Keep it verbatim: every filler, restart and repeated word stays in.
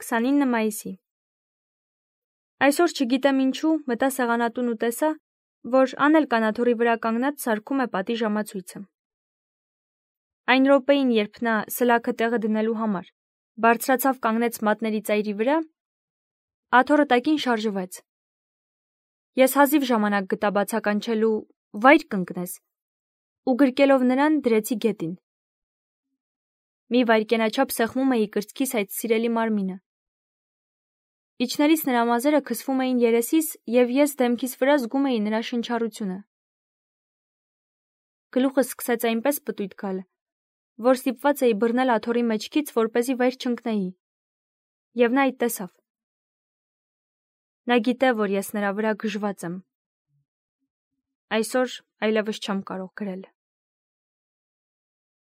քսանինը մայիսի։ Այսօր չգիտեմ ինչու մտա սեղանատուն ու տեսա, որ Անել կանաթոռի վրա կանգնած սարքում է պատի ժամացույցը։ Այն րոպեին, երբ նա սլաքը տեղը դնելու համար բարձրացավ կանգնեց մատների ծայրի վրա, աթոռը տակին շարժվեց։ Ես հազիվ ժամանակ գտա բացականչելու «վայր կընկնես» ու գրկելով նրան դրեցի գետին։ Մի վայրկենաչափ սեղմում էի կրծքիս այդ սիրելի մարմինը։ Իջնելիս նրա մազերը քսվում էին երեսիս և ես դեմքիս վրա զգում էի նրա շնչառությունը։ Գլուխս սկսեց այնպես պտույտ գալ, որ ստիպված էի բռնել աթոռի մեջքից, որպեսզի վայր չընկնեի, և նա այդ տեսավ։ Նա գիտե, որ ես նրա վրա գժված եմ։ Այսօր այլևս չեմ կարող գրել։